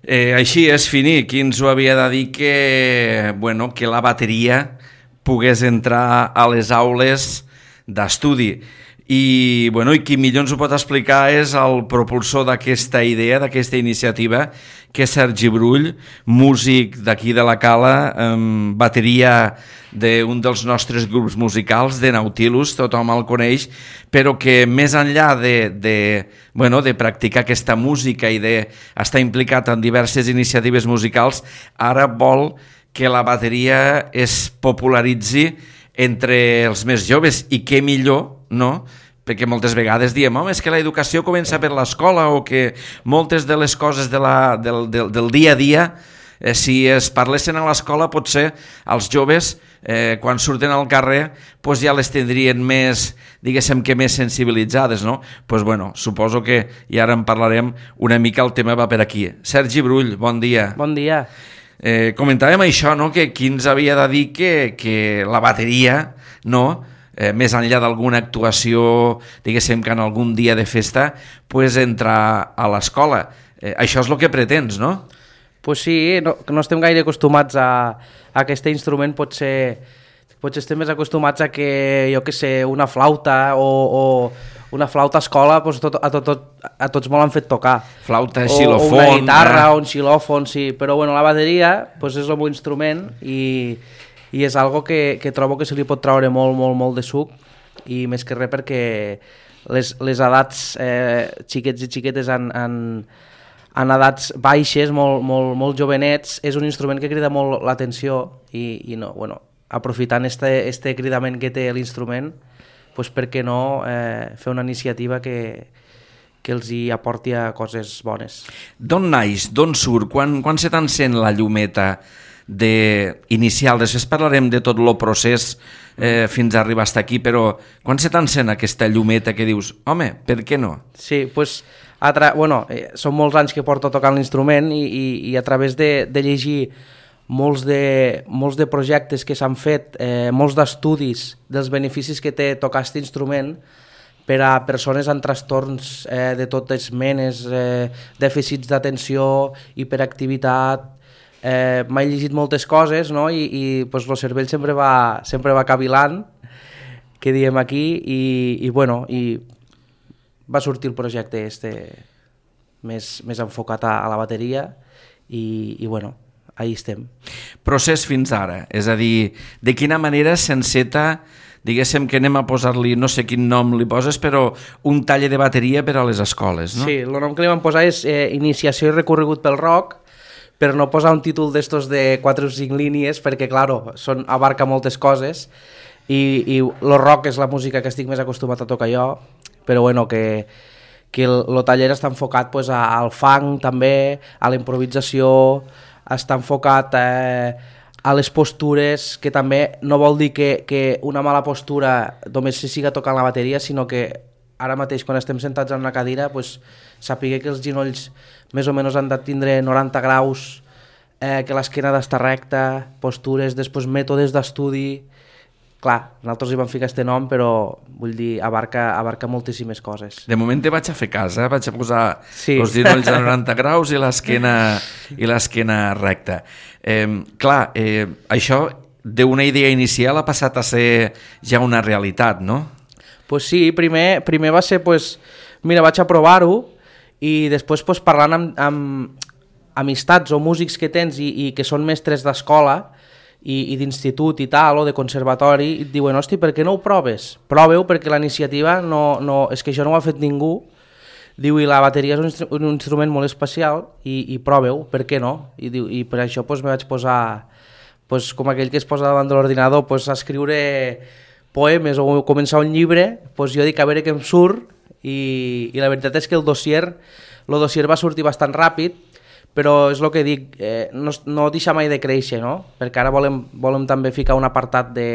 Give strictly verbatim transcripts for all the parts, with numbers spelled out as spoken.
Eh, així és, Fini, qui ens ho havia de dir que, bueno, que la bateria pogués entrar a les aules d'estudi. I, bueno, i qui millor ens ho pot explicar és el propulsor d'aquesta idea, d'aquesta iniciativa, que és Sergi Brull, músic d'aquí de la Cala, eh, bateria d'un dels nostres grups musicals, de Nautilus, tothom el coneix, però que més enllà de, de, bueno, de practicar aquesta música i d'estar implicat en diverses iniciatives musicals, ara vol que la bateria es popularitzi entre els més joves, i què millor, no?, perquè moltes vegades diem, home, és que l'educació comença per l'escola, o que moltes de les coses de la, del, del, del dia a dia, eh, si es parlessin a l'escola, potser els joves, eh, quan surten al carrer, pues ja les tindrien més, diguéssim que més sensibilitzades, no? Pues bueno, suposo que, i ara en parlarem una mica, el tema va per aquí. Sergi Brull, bon dia. Bon dia. Eh, comentàvem això, no?, que qui ens havia de dir que, que la bateria, no?, Eh, més enllà d'alguna actuació, diguéssim que en algun dia de festa, pues entrar a l'escola. Eh, això és el que pretens, no? Pues sí, no, no estem gaire acostumats a, a aquest instrument, potser, potser estem més acostumats a que, jo que sé, una flauta o, o una flauta a escola, pues tot, a, tot, tot, a tots me l'han fet tocar. Flauta, o, xilòfon... O una guitarra, eh? o un xilòfon, sí. Però bueno, la bateria pues és el meu instrument i... i és algo que, que trobo que se li pot treure molt, molt, molt de suc, i més que res perquè les, les edats eh, xiquets i xiquetes en, en, en edats baixes, molt, molt, molt jovenets, és un instrument que crida molt l'atenció i, i no, bueno, aprofitant este, este cridament que té l'instrument, pues per què no eh, fer una iniciativa que, que els hi aporti a coses bones. D'on naix, d'on surt, quan, quan se t'encén la llumeta de inicial? Després parlarem de tot el procés eh, fins a arribar fins aquí, però quan se t'encén aquesta llumeta que dius, home, per què no? Sí, doncs, tra... bueno, eh, són molts anys que porto tocant l'instrument i, i, i a través de, de llegir molts de, molts de projectes que s'han fet, eh, molts d'estudis dels beneficis que té tocar aquest instrument per a persones amb trastorns eh, de totes menes, eh, dèficits d'atenció, hiperactivitat. Eh, m'he llegit moltes coses, no? I, i pues, el cervell sempre va, sempre va cavilant, que diem aquí, i, i, bueno, i va sortir el projecte este més, més enfocat a, a la bateria i, i bueno, ahí estem. Procés fins ara, és a dir, de quina manera s'enceta, diguéssim que anem a posar-li, no sé quin nom li poses, però un taller de bateria per a les escoles, no? Sí, el nom que li vam posar és eh, Iniciació i recorregut pel rock, per no posar un títol d'estos de quatre o cinc línies, perquè, claro, són, abarca moltes coses, i, i el rock és la música que estic més acostumat a tocar jo, però bueno, que, que el, el taller està enfocat pues, a, al funk també, a la improvisació, està enfocat eh, a les postures, que també no vol dir que, que una mala postura només se siga tocant la bateria, sinó que ara mateix, quan estem sentats en una cadira, pues, sàpiga que els ginolls més o menys han de tindre noranta graus, eh, que l'esquena ha d'estar recta, postures, després mètodes d'estudi. Clar, nosaltres hi vam ficar aquest nom, però vull dir, abarca, abarca moltíssimes coses. De moment te vaig a fer cas, eh? Vaig a posar sí. els ginolls a noranta graus i l'esquena i l'esquena recta. Eh, clar, eh, això d'una idea inicial ha passat a ser ja una realitat, no? Pues sí, primer, primer va ser, pues, mira, vaig a provar-ho, i després pues, parlant amb, amb amistats o músics que tens i, i que són mestres d'escola i, i d'institut i tal, o de conservatori, i et diuen, hosti, per què no ho proves? Proveu, perquè la iniciativa no, no, és que això no ho ha fet ningú. Diu, i la bateria és un, instru un instrument molt especial, i, i proveu, per què no? I, diu, i per això pues, me vaig posar, pues, com aquell que es posa davant de l'ordinador, pues, a escriure poemes o començar un llibre, pues, jo dic a veure què em surt, i, i la veritat és que el dossier, el dossier va sortir bastant ràpid, però és el que dic, eh, no, no deixa mai de créixer, no? Perquè ara volem, volem també ficar un apartat de,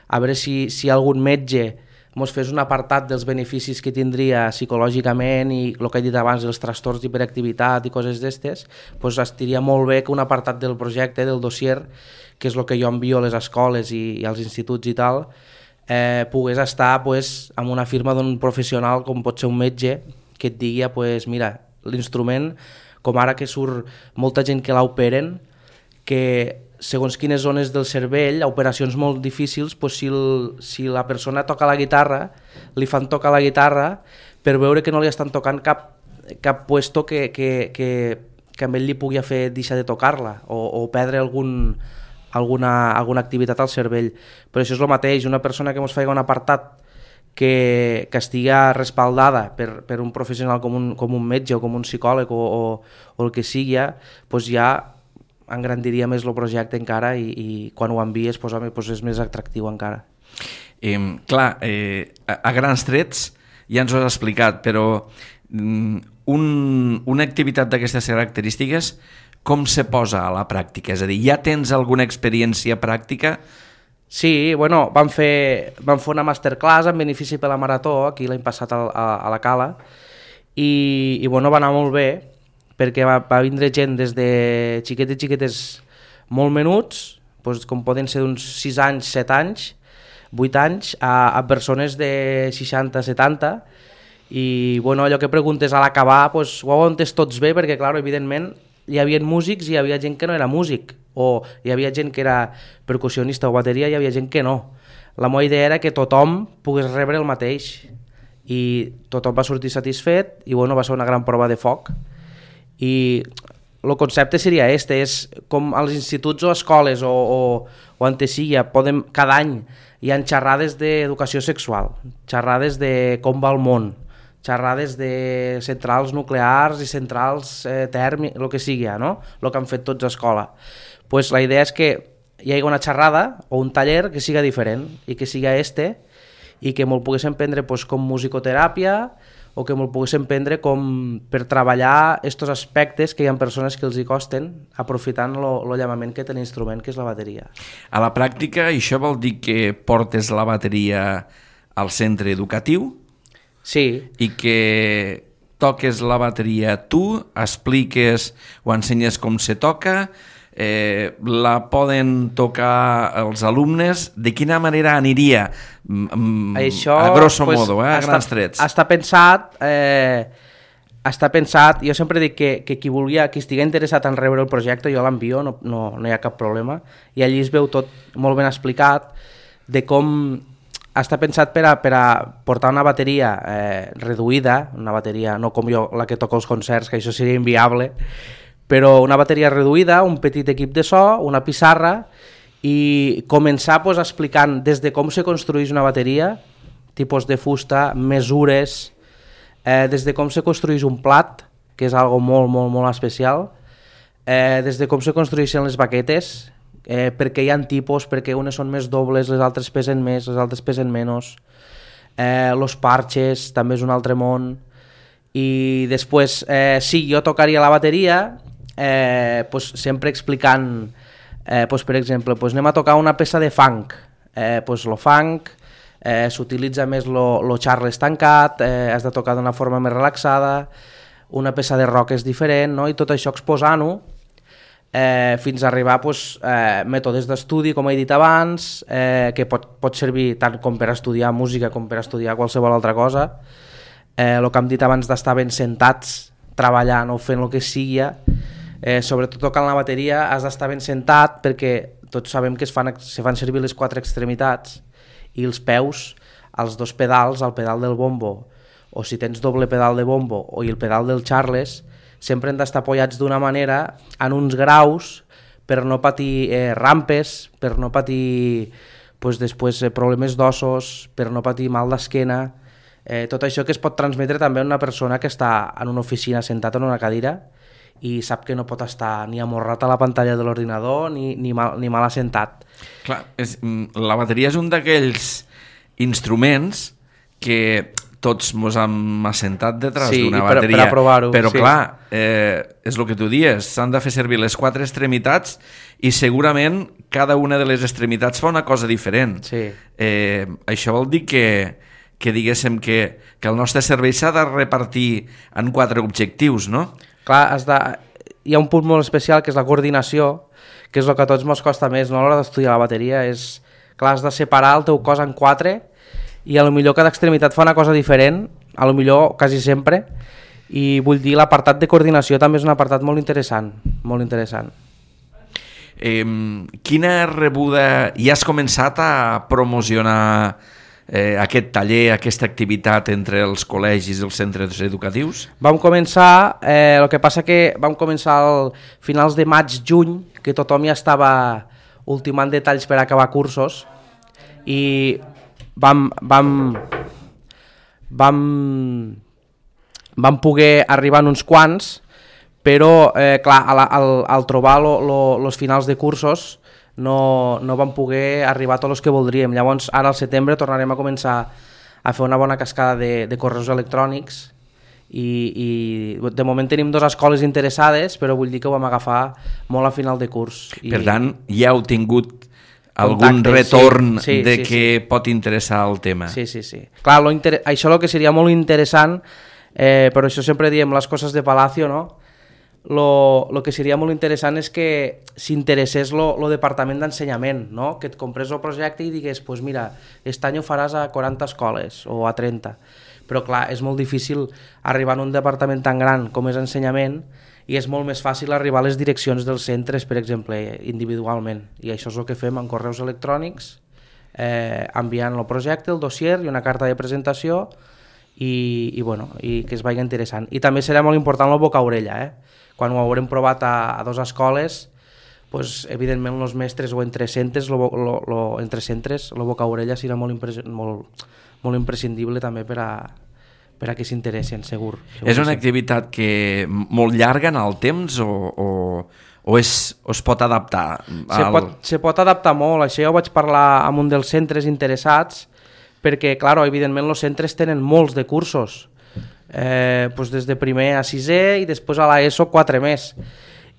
a veure si, si algun metge ens fes un apartat dels beneficis que tindria psicològicament i el que he dit abans, els trastorns d'hiperactivitat i coses d'estes, doncs estiria molt bé que un apartat del projecte, del dossier, que és el que jo envio a les escoles i, i als instituts i tal, eh, pogués estar pues, amb una firma d'un professional com pot ser un metge que et digui, pues, mira, l'instrument com ara que surt molta gent que l'operen, que segons quines zones del cervell, a operacions molt difícils, pues si, el, si la persona toca la guitarra, li fan tocar la guitarra per veure que no li estan tocant cap, cap puesto que, que, que, que amb ell li pugui fer deixar de tocar-la o, o perdre algun, alguna, alguna activitat al cervell. Però això és el mateix, una persona que ens faci un apartat que, que estigui respaldada per, per un professional com un, com un metge o com un psicòleg o, o, o el que sigui, pues ja engrandiria més el projecte encara i, i quan ho envies pues, home, pues és més atractiu encara. Eh, clar, eh, a, a grans trets ja ens ho has explicat, però mm, un, una activitat d'aquestes característiques com se posa a la pràctica? És a dir, ja tens alguna experiència pràctica? Sí, bueno, vam fer, vam fer una masterclass en benefici per la Marató, aquí l'any passat a, a, a la Cala, i, i bueno, va anar molt bé, perquè va, va vindre gent des de xiquetes xiquetes molt menuts, doncs com poden ser d'uns sis anys, set anys, vuit anys, a, a persones de seixanta, setanta, i bueno, allò que preguntes a l'acabar, doncs, ho heu entès tots bé, perquè clar, evidentment hi havia músics i hi havia gent que no era músic, o hi havia gent que era percussionista o bateria i hi havia gent que no. La meva idea era que tothom pogués rebre el mateix, i tothom va sortir satisfet, i bueno, va ser una gran prova de foc. I el concepte seria este, és com als instituts o escoles o, o, o on sigui, podem, cada any hi ha xerrades d'educació sexual, xerrades de com va el món, xerrades de centrals nuclears i centrals eh, tèrmiques, el que sigui, no? El que han fet tots a escola. Pues la idea és que hi hagi una xerrada o un taller que siga diferent i que siga este i que me'l poguéssim prendre pues, com musicoteràpia o que me'l poguéssim prendre com per treballar estos aspectes que hi ha persones que els hi costen aprofitant el llamament que té l'instrument, que és la bateria. A la pràctica, això vol dir que portes la bateria al centre educatiu? Sí. I que toques la bateria tu, expliques o ensenyes com se toca, eh, la poden tocar els alumnes, de quina manera aniria? Mm, Això, a grosso pues, modo, eh, a està, grans trets. Està pensat, eh, està pensat, jo sempre dic que, que qui volia, qui estigui interessat en rebre el projecte, jo l'envio, no, no, no hi ha cap problema, i allí es veu tot molt ben explicat de com està pensat per a, per a portar una bateria eh, reduïda, una bateria no com jo, la que toco els concerts, que això seria inviable, però una bateria reduïda, un petit equip de so, una pissarra, i començar pues, explicant des de com se construeix una bateria, tipus de fusta, mesures, eh, des de com se construeix un plat, que és algo molt, molt, molt especial, eh, des de com se construeixen les baquetes, eh, perquè hi ha tipus, perquè unes són més dobles, les altres pesen més, les altres pesen menys, eh, los parches també és un altre món, i després, eh, sí, jo tocaria la bateria, eh, pues, sempre explicant, eh, pues, per exemple, pues, anem a tocar una peça de funk, eh, pues, lo funk, eh, s'utilitza més lo, lo charles tancat, eh, has de tocar d'una forma més relaxada, una peça de rock és diferent, no? I tot això exposant-ho eh, fins a arribar pues, eh, mètodes d'estudi, com he dit abans, eh, que pot, pot servir tant com per estudiar música com per estudiar qualsevol altra cosa. Eh, el que hem dit abans d'estar ben sentats, treballant o fent el que sigui, eh, sobretot tocant la bateria has d'estar ben sentat perquè tots sabem que es fan, se fan servir les quatre extremitats i els peus, els dos pedals, el pedal del bombo, o si tens doble pedal de bombo o el pedal del charles, sempre han d'estar apoyats d'una manera en uns graus per no patir eh, rampes, per no patir pues, després, eh, problemes d'ossos, per no patir mal d'esquena, eh, tot això que es pot transmetre també a una persona que està en una oficina sentat en una cadira i sap que no pot estar ni amorrat a la pantalla de l'ordinador ni, ni, mal, ni mal assentat. Clar, és, la bateria és un d'aquells instruments que tots ens hem assentat detrás sí, d'una per, bateria, per provar-ho, però sí. clar, eh, és el que tu dies, s'han de fer servir les quatre extremitats i segurament cada una de les extremitats fa una cosa diferent. Sí. Eh, això vol dir que, que diguéssim que, que el nostre servei s'ha de repartir en quatre objectius, no? Clar, has de... hi ha un punt molt especial que és la coordinació, que és el que a tots ens costa més no? A l'hora d'estudiar la bateria. És... Clar, has de separar el teu cos en quatre i a lo millor cada extremitat fa una cosa diferent, a lo millor quasi sempre, i vull dir, l'apartat de coordinació també és un apartat molt interessant, molt interessant. Eh, quina rebuda... Ja has començat a promocionar eh, aquest taller, aquesta activitat entre els col·legis i els centres educatius? Vam començar, eh, el que passa que vam començar al finals de maig-juny, que tothom ja estava ultimant detalls per acabar cursos, i vam, vam, vam, vam poder arribar en uns quants, però eh, clar, al, al, al trobar els finals de cursos no, no vam poder arribar a tots els que voldríem. Llavors ara al setembre tornarem a començar a fer una bona cascada de, de correus electrònics i, i de moment tenim dues escoles interessades, però vull dir que ho vam agafar molt a final de curs. I... Per tant, ja heu tingut algun contacte, retorn sí, sí, de sí, que sí. pot interessar el tema. Sí, sí, sí. Clar, lo inter... això és el que seria molt interessant, eh, però això sempre diem les coses de Palacio, no? Lo, lo que seria molt interessant és que s'interessés lo, lo departament d'ensenyament, no? Que et comprés el projecte i digués, pues mira, aquest any ho faràs a quaranta escoles o a trenta, però clar, és molt difícil arribar a un departament tan gran com és ensenyament i és molt més fàcil arribar a les direccions dels centres, per exemple, individualment, i això és el que fem amb correus electrònics, eh, enviant el projecte, el dossier i una carta de presentació i, i, bueno, i que es vagi interessant. I també serà molt important el boca-orella, eh? Quan ho haurem provat a, a dues escoles, pues, evidentment els mestres o entre centres, lo, lo, lo, entre centres, el boca-orella serà molt, impres, molt, molt imprescindible també per a, per a que s'interessin, segur, segur. És una activitat que molt llarga en el temps o, o, o, és, o es pot adaptar? Al... Se, pot, se pot adaptar molt, això jo vaig parlar amb un dels centres interessats, perquè, clar, evidentment els centres tenen molts de cursos, Eh, pues des de primer a sisè i després a l'ESO quatre més,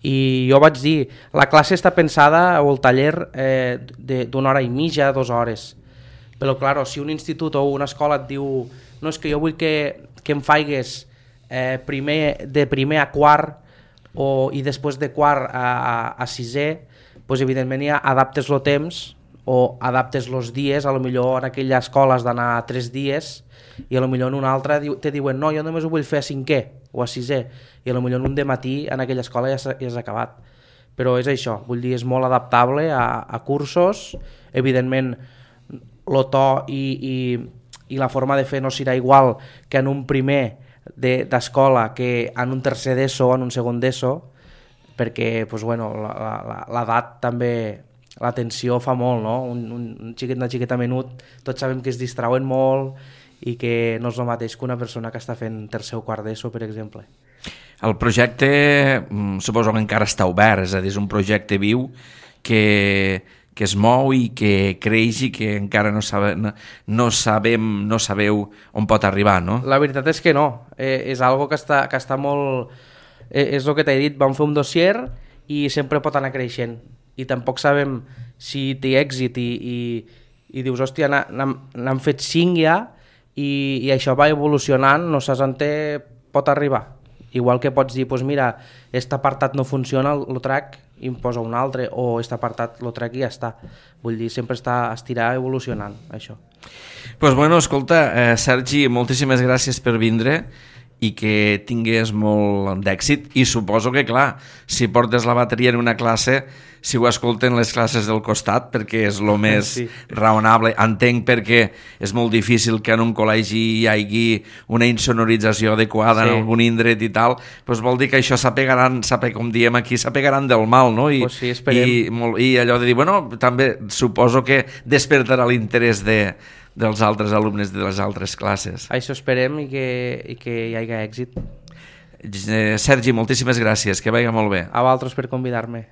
i jo vaig dir, la classe està pensada o el taller eh, d'una hora i mitja, dues hores, però clar, si un institut o una escola et diu no, és que jo vull que, que em faigues eh, primer, de primer a quart o, i després de quart a, a, a sisè, pues evidentment ja adaptes el temps o adaptes els dies, a lo millor en aquella escola has d'anar tres dies i a lo millor en una altra te diuen no, jo només ho vull fer a cinquè o a sisè, i a lo millor en un dematí en aquella escola ja s'ha ja acabat. Però és això, vull dir, és molt adaptable a, a cursos, evidentment el to i, i, i la forma de fer no serà igual que en un primer d'escola de, que en un tercer d'ESO o en un segon d'ESO, perquè pues, bueno, l'edat també, l'atenció fa molt, no? Un, un xiquet, una xiqueta menut, tots sabem que es distrauen molt i que no és el mateix que una persona que està fent tercer o quart d'ESO, per exemple. El projecte suposo que encara està obert, és a dir, és un projecte viu que, que es mou i que creix i que encara no, sabe, no, no sabem, no sabeu on pot arribar, no? La veritat és que no, eh, és algo que està, que està molt... Eh, és el que t'he dit, vam fer un dossier i sempre pot anar creixent i tampoc sabem si té èxit i, i, i dius, hòstia, n'han fet cinc ja i, i això va evolucionant, no saps on té, pot arribar. Igual que pots dir, pues mira, aquest apartat no funciona, el trac, i em posa un altre, o aquest apartat el trac i ja està. Vull dir, sempre està estirar evolucionant, això. Pues bueno, escolta, eh, Sergi, moltíssimes gràcies per vindre i que tingués molt d'èxit, i suposo que, clar, si portes la bateria en una classe, si ho escolten les classes del costat, perquè és el més sí. raonable. Entenc perquè és molt difícil que en un col·legi hi hagi una insonorització adequada sí. en algun indret i tal, doncs vol dir que això s'apegaran, com diem aquí, s'apegaran del mal, no? I, pues sí, esperem. I, molt, I allò de dir, bueno, també suposo que despertarà l'interès de dels altres alumnes de les altres classes. Això esperem i que, i que hi hagi èxit. Sergi, moltíssimes gràcies, que vagi molt bé. A vosaltres per convidar-me.